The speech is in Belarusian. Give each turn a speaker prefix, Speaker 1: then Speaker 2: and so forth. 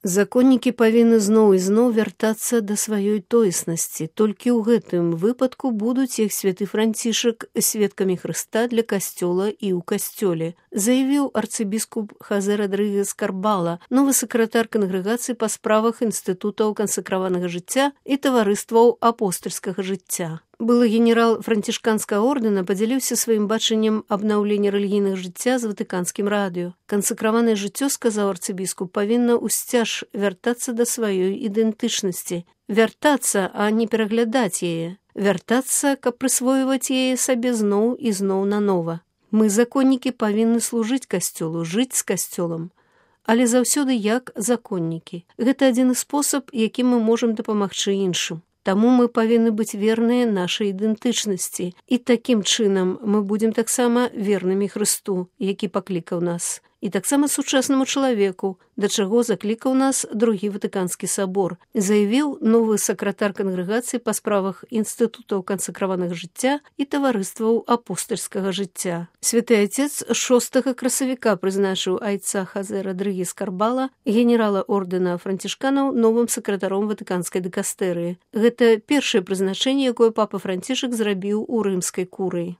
Speaker 1: Законнікі павінны зноў і зноў вяртацца да сваёй тоеснасці. Толькі ў гэтым выпадку будуць іх святы Францішак сведкамі Хрыста для касцёла і ў касцёле, заявіў арцыбіскуп Хозе Родрыгес Карбала, новы сакратар кангрэгацыі па справах інстытутаў кансакраванага жыцця і таварыстваў апостальскага жыцця. Былы генерал францішканскага ордэна падзяліўся сваім бачаннем абнаўлення рэлігійнага жыцця з ватыканскім радыё. Кансакраванае жыццё, сказаў арцыбіскуп, павінна ўсцяж вяртацца да сваёй ідэнтычнасці. Вяртацца, а не пераглядаць яе. Вяртацца, каб прысвойваць яе сабе зноў і зноў нанова. Мы, законнікі, павінны служыць касцёлу, жыць з касцёлам. Але заўсёды як законнікі. Гэта адзіны спосаб, якім мы можам дапамагчы іншым. Таму мы павінны быць верныя нашай ідэнтычнасці. І такім чынам мы будзем таксама вернымі Хрысту, які паклікаў нас. І таксама сучаснаму чалавеку, да чаго заклікаў нас другі Ватыканскі сабор, заявіў новы сакратар кангрэгацыі па справах інстытутаў кансакраванага жыцця і таварыстваў апостальскага жыцця. Святы Отец 6 красавіка прызначыў айца Хозе Родрыгес Карбала, генерала ордэна францішканаў, новым сакратаром Ватыканскай дыкастэрыі. Гэта першае прызначэнне, якое папа Францішак зрабіў у рымскай курыі.